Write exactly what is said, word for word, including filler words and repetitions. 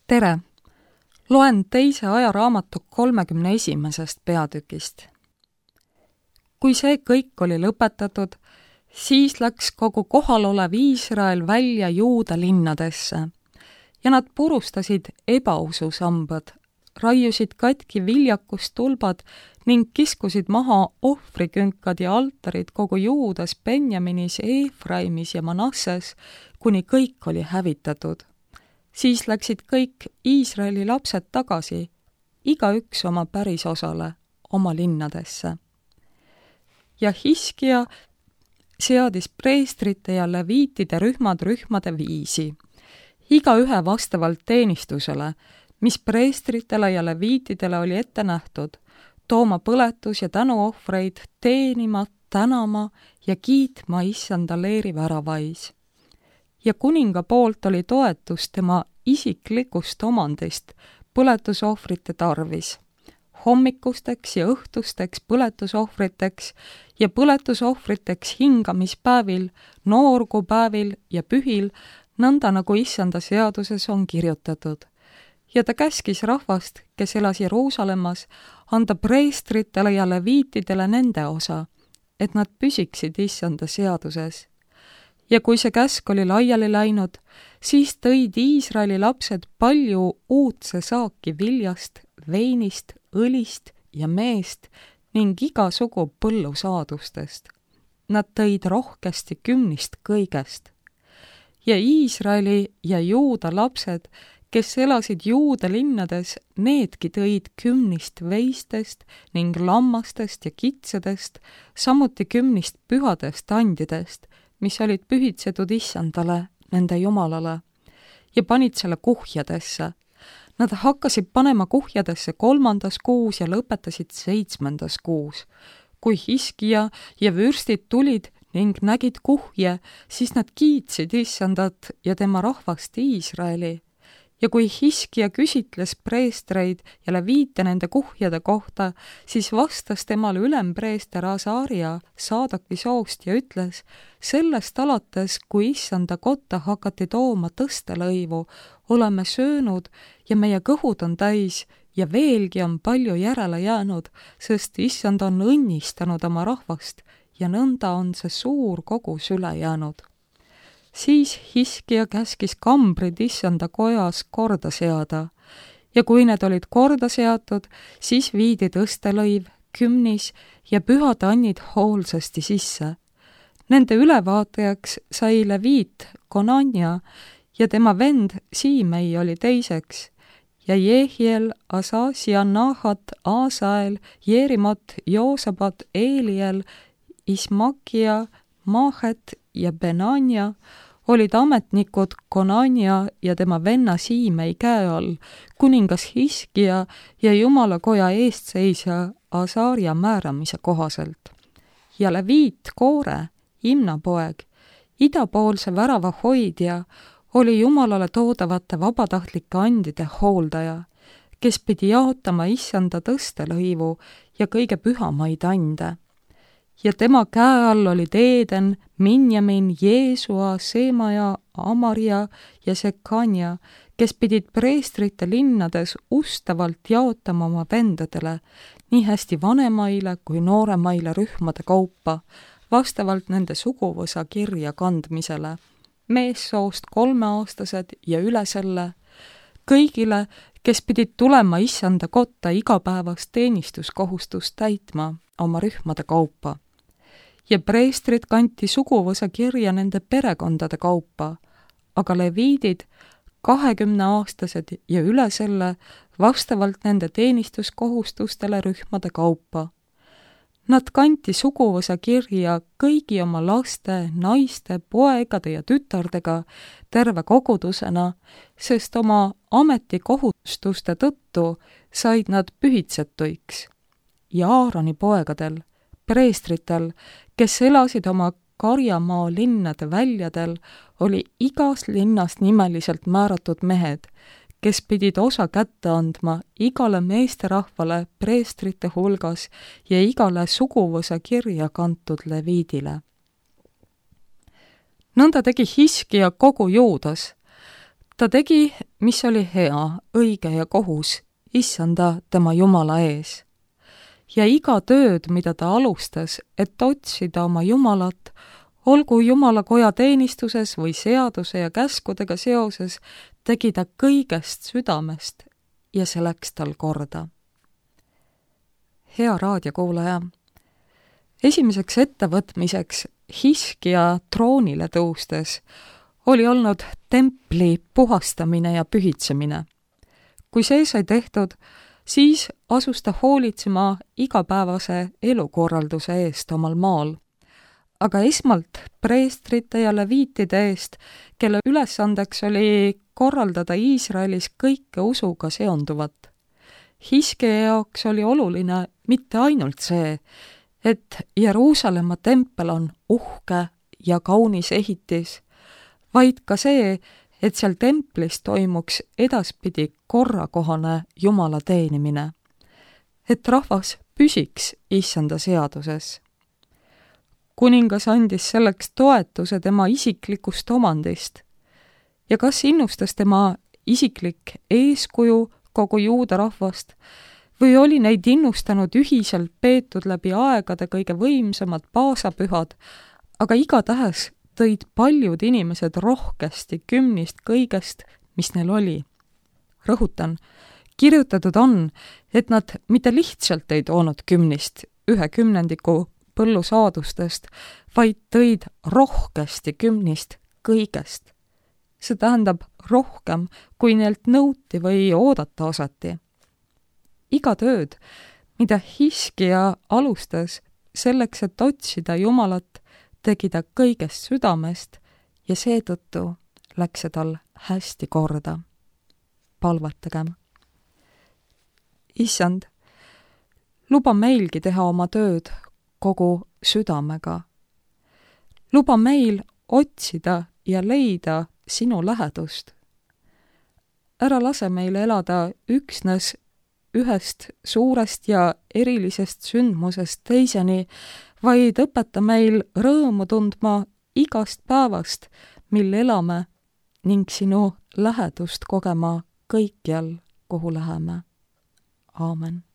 tere! Loen teise ajaraamatu kolmekümne esimesest peatükist. Kui see kõik oli lõpetatud, siis läks kogu kohalolev Iisrael välja Juuda linnadesse ja nad purustasid ebaususambad, raiusid katki viljakustulbad ning kiskusid maha ohvrikünkad ja altarid kogu Juudas, Benjaminis, Eefraimis ja Manasses, kuni kõik oli hävitatud. Siis läksid kõik Iisraeli lapsed tagasi, igaüks oma pärisosale, oma linnadesse. Ja Hiskia seadis preestrite ja leviitide rühmad rühmade viisi, igaühe vastavalt teenistusele, mis preestritele ja leviitidele oli ette nähtud, tooma põletus- ja tänuohvreid, teenima, tänama ja kiitma issanda leeri väravais. Ja kuninga poolt oli toetus tema isiklikust omandist põletusohvrite tarvis, hommikusteks ja õhtusteks põletusohvriteks ja põletusohvriteks hingamispäevil, noorgupäevil ja pühil, nõnda nagu issanda seaduses on kirjutatud. Ja ta käskis rahvast, kes elas Jeruusalemmas, anda preestritele ja leviitidele nende osa, et nad püsiksid issanda seaduses. Ja kui see käsk oli laiali läinud, siis tõid Iisraeli lapsed palju uudse saaki viljast, veinist, õlist ja meest ning igasugu põllusaadustest. Nad tõid rohkesti kümnist kõigest. Ja Iisraeli ja Juuda lapsed, kes elasid Juuda linnades, needki tõid kümnist veistest ning lammastest ja kitsedest, samuti kümnist pühadest andidest, mis olid pühitsetud issandale, nende jumalale, ja panid selle kuhjadesse. Nad hakkasid panema kuhjadesse kolmandas kuus ja lõpetasid seitsmendas kuus. Kui Hiskia ja vürstid tulid ning nägid kuhje, siis nad kiitsid issandat ja tema rahvast Iisraeli. Ja kui Hiskia küsitles preestreid ja leviite nende kuhjade kohta, siis vastas temale ülempreester Asaria Saadaki soost ja ütles, sellest alates, kui issanda kotta hakati tooma tõstelõivu, oleme söönud ja meie kõhud on täis ja veelgi on palju järele jäänud, sest issand on õnnistanud oma rahvast ja nõnda on see suur kogus üle jäänud. Siis Hiskia käskis kambrid issanda kojas korda seada ja kui need olid korda seatud, siis viidi tõstelõiv, kümnis ja pühad annid hoolsasti sisse. Nende ülevaatajaks sai leviit Konania ja tema vend Siimei oli teiseks ja Jehiel, Asasia, Nahat, Aasael, Jeerimot, Joosabat, Eeliel, Ismakia, Maahet ja Benania olid ametnikud Konania ja tema venna Siimei käe all, kuningas Hiskia ja jumalakoja eestseisja Asaria määramise kohaselt. Ja leviit Koore, Imna poeg, idapoolse värava hoidja, oli jumalale toodavate vabatahtlike andide hooldaja, kes pidi jaotama issanda tõstelõivu ja kõige pühamaid ande. Ja tema käe all olid Eeden, Minjamin, Jeesua, Seemaja, Amaria ja Sekania, kes pidid preestrite linnades ustavalt jaotama oma vendadele, nii hästi vanemaile kui nooremaile rühmade kaupa, vastavalt nende suguvõsa kirja kandmisele, meessoost kolmeaastased ja üle selle, kõigile, kes pidid tulema issanda kotta igapäevast teenistuskohustust täitma oma rühmade kaupa. Ja preestrid kanti suguvõsa kirja nende perekondade kaupa, aga leviidid, kahekümneaastased ja üle selle, vastavalt nende teenistuskohustustele rühmade kaupa. Nad kanti suguvõsa kirja kõigi oma laste, naiste, poegade ja tütardega terve kogudusena, sest oma ametikohustuste tõttu said nad pühitsetuiks. Ja Aaroni poegadel, preestritel, kes elasid oma karjamaa linnade väljadel, oli igas linnast nimeliselt määratud mehed, kes pidid osa kätte andma igale meesterahvale preestrite hulgas ja igale suguvõsa kirja kantud leviidile. nõnda tegi Hiskia kogu Juudas. Ta tegi, mis oli hea, õige ja kohus, issanda tema Jumala ees. Ja iga tööd, mida ta alustas, et otsida oma Jumalat, olgu Jumala koja teenistuses või seaduse ja käskudega seoses, tegi ta kõigest südamest ja see läks tal korda. Hea raadiokuulaja, esimeseks ettevõtmiseks Hiskja troonile tõustes oli olnud templi puhastamine ja pühitsemine. Kui see sai tehtud, siis asus ta hoolitsema igapäevase elukorralduse eest omal maal, aga esmalt preestrite ja leviitide eest, kelle ülesandeks oli korraldada Iisraelis kõike usuga seonduvat. Hiskja jaoks oli oluline mitte ainult see, et Jeruusalemma tempel on uhke ja kaunis ehitis, vaid ka see, et seal templis toimuks edaspidi korrakohane Jumala teenimine, et rahvas püsiks issanda seaduses. Kuningas andis selleks toetuse tema isiklikust omandist ja kas innustas tema isiklik eeskuju kogu juuda rahvast või oli neid innustanud ühiselt peetud läbi aegade kõige võimsamad paasapühad, aga igatahes tõid paljud inimesed rohkesti kümnist kõigest, mis neil oli. Rõhutan, kirjutatud on, et nad mitte lihtsalt ei toonud kümnist ühe kümnendiku põllusaadustest, vaid tõid rohkesti kümnist kõigest. See tähendab rohkem, kui neilt nõuti või oodata osati. Iga tööd, mida Hiskja alustas selleks, et otsida Jumalat, tegi ta kõigest südamest ja seetõttu läks see tal hästi korda. Palvetagem. Issand, luba meilgi teha oma tööd kogu südamega. Luba meil otsida ja leida sinu lähedust. Ära lase meil elada üksnes ühest suurest ja erilisest sündmusest teiseni, vaid õpeta meil rõõmu tundma igast päevast, mil elame ning sinu lähedust kogema kõikjal, kuhu läheme. Aamen.